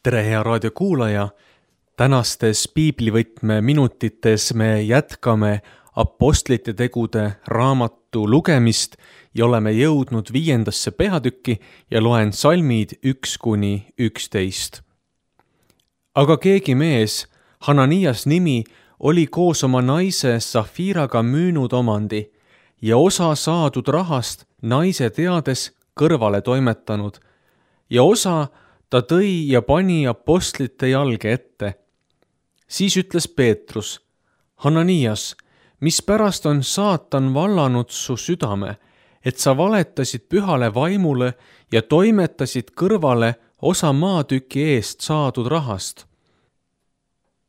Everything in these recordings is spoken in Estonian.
Tere, hea raadiokuulaja! Tänastes piiblivõtme minutites me jätkame Apostlite tegude raamatu lugemist ja oleme jõudnud 5. peatükki ja loen salmid 1-11. Aga keegi mees, Hananias nimi, oli koos oma naise Safiraga müünud omandi ja osa saadud rahast naise teades kõrvale toimetanud ja osa ta tõi ja pani apostlite jalge ette. Siis ütles Peetrus: Hananias, mispärast on saatan vallanud su südame, et sa valetasid pühale vaimule ja toimetasid kõrvale osa maatüki eest saadud rahast?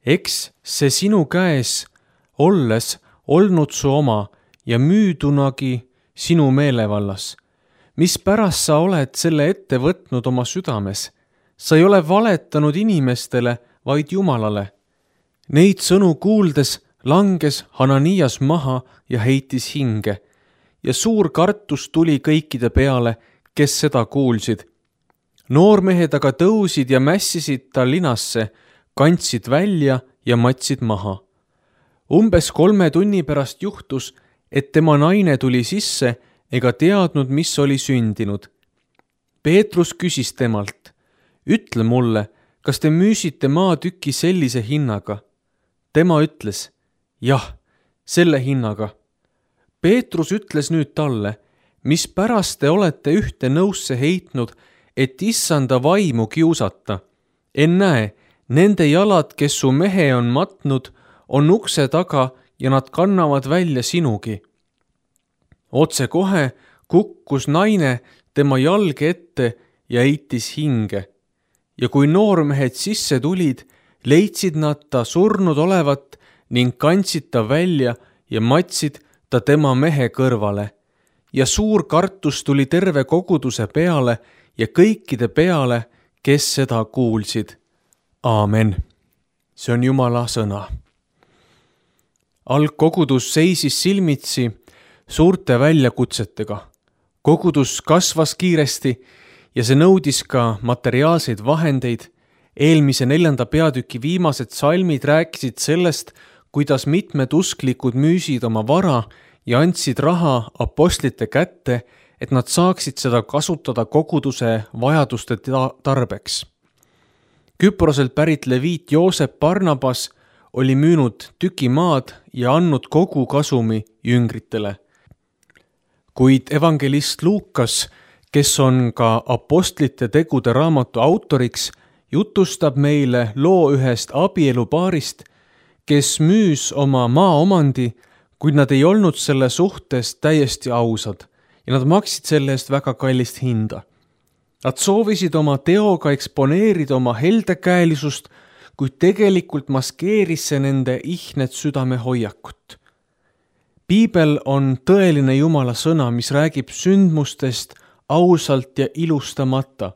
Eks see sinu käes olles olnud su oma ja müüdunagi sinu meelevallas. Mispärast sa oled selle ette võtnud oma südames? Sa ei ole valetanud inimestele, vaid Jumalale. Neid sõnu kuuldes langes Hananias maha ja heitis hinge ja suur kartus tuli kõikide peale, kes seda kuulsid. Noormehed aga tõusid ja mässisid ta linasse, kandsid välja ja matsid maha. Umbes 3 tunni pärast juhtus, et tema naine tuli sisse ega teadnud, mis oli sündinud. Peetrus küsis temalt: Ütle mulle, kas te müüsite maatüki sellise hinnaga? Tema ütles: Jah, selle hinnaga. Peetrus ütles nüüd talle: Mispärast te olete ühte nõusse heitnud, et issanda vaimu kiusata? Ennäe, nende jalad, kes su mehe on matnud, on ukse taga ja nad kannavad välja sinugi. Otse kohe kukkus naine tema jalge ette ja heitis hinge. Ja kui noormehed sisse tulid, leidsid nad ta surnud olevat ning kandsid ta välja ja matsid ta tema mehe kõrvale. Ja suur kartus tuli terve koguduse peale ja kõikide peale, kes seda kuulsid. Aamen. See on Jumala sõna. Algkogudus seisis silmitsi suurte väljakutsetega. Kogudus kasvas kiiresti ja see nõudis ka materiaalseid vahendeid. Eelmise 4. peatüki viimased salmid rääkisid sellest, kuidas mitmed usklikud müüsid oma vara ja andsid raha apostlite kätte, et nad saaksid seda kasutada koguduse vajaduste tarbeks. Küproselt pärit leviit Joosep Barnabas oli müünud tüki maad ja andnud kogu kasumi jüngritele. Kuid evangelist Luukas, kes on ka Apostlite tegude raamatu autoriks, jutustab meile loo ühest abielupaarist, kes müüs oma maaomandi, kuid nad ei olnud selle suhtes täiesti ausad ja nad maksid selle eest väga kallist hinda. Nad soovisid oma teoga eksponeerida oma heldekäelisust, kuid tegelikult maskeeris see nende ihnet südame hoiakut. Piibel on tõeline Jumala sõna, mis räägib sündmustest ausalt ja ilustamata.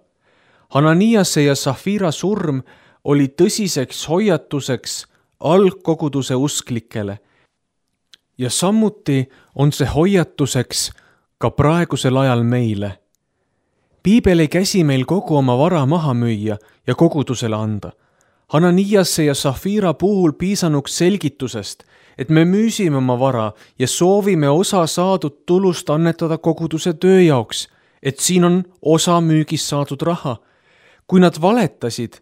Hananiase ja Safira surm oli tõsiseks hoiatuseks algkoguduse usklikele. Ja samuti on see hoiatuseks ka praegusel ajal meile. Piibel ei käsi meil kogu oma vara maha müüa ja kogudusele anda. Hananiase ja Safira puhul piisanuks selgitusest, et me müüsime oma vara ja soovime osa saadud tulust annetada koguduse töö jaoks, et siin on osa müügist saadud raha. Kui nad valetasid,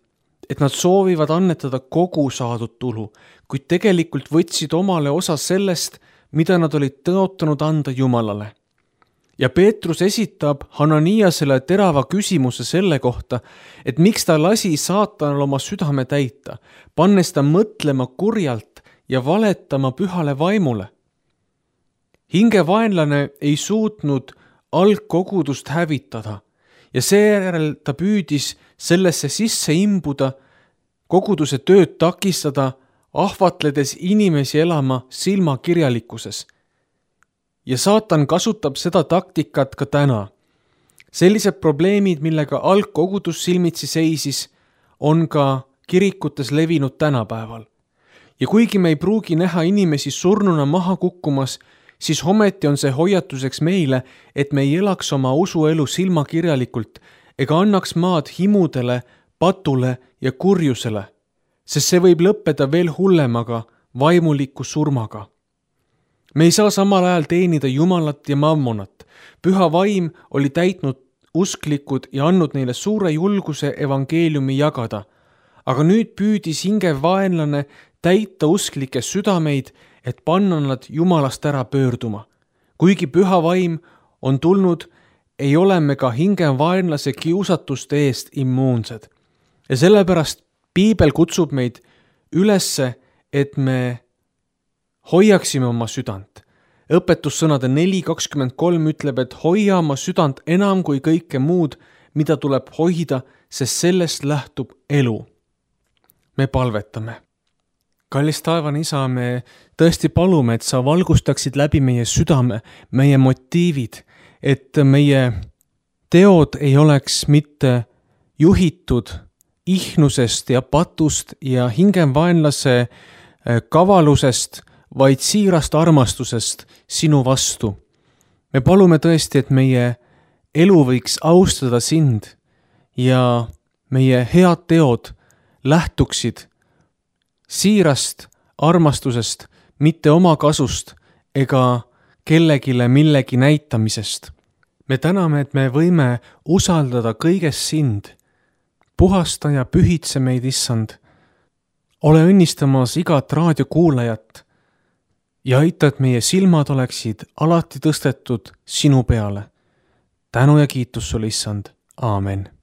et nad soovivad annetada kogu saadud tulu, kuid tegelikult võtsid omale osa sellest, mida nad olid tõotanud anda Jumalale. Ja Peetrus esitab Hananiasele terava küsimuse selle kohta, et miks ta lasi saatanal oma südame täita, pannes ta mõtlema kurjalt ja valetama pühale vaimule. Hingevaenlane ei suutnud algkogudust hävitada ja seejärel ta püüdis sellesse sisse imbuda, koguduse tööd takistada, ahvatledes inimesi elama silmakirjalikkuses. Ja saatan kasutab seda taktikat ka täna. Sellised probleemid, millega algkogudus silmitsi seisis, on ka kirikutes levinud tänapäeval. Ja kuigi me ei pruugi näha inimesi surnuna maha kukkumas, siis ometi on see hoiatuseks meile, et me ei elaks oma usuelu silmakirjalikult ega annaks maad himudele, patule ja kurjusele, sest see võib lõppeda veel hullemaga, vaimuliku surmaga. Me ei saa samal ajal teenida Jumalat ja mammonat. Püha vaim oli täitnud usklikud ja andnud neile suure julguse evangeeliumi jagada. Aga nüüd püüdis hingev vaenlane täita usklike südameid, et panna nad Jumalast ära pöörduma. Kuigi püha vaim on tulnud, ei ole me ka hingev vaenlase kiusatuste eest immuunsed. Ja sellepärast Piibel kutsub meid ülesse, et me hoiaksime oma südant. Õpetussõnade 4:23 ütleb, et hoia oma südant enam kui kõike muud, mida tuleb hoida, sest sellest lähtub elu. Me palvetame. Kallis taevane Isa, me tõesti palume, et sa valgustaksid läbi meie südame, meie motiivid, et meie teod ei oleks mitte juhitud ihnusest ja patust ja hingevaenlase kavalusest, vaid siirast armastusest sinu vastu. Me palume tõesti, et meie elu võiks austada sind ja meie head teod lähtuksid siirast armastusest, mitte oma kasust ega kellegile millegi näitamisest. Me täname, et me võime usaldada kõiges sind. Puhasta ja pühitse meid, Issand. Ole õnnistamas igat raadiokuulajat ja aita, et meie silmad oleksid alati tõstetud sinu peale. Tänu ja kiitus sulle, Issand. Aamen.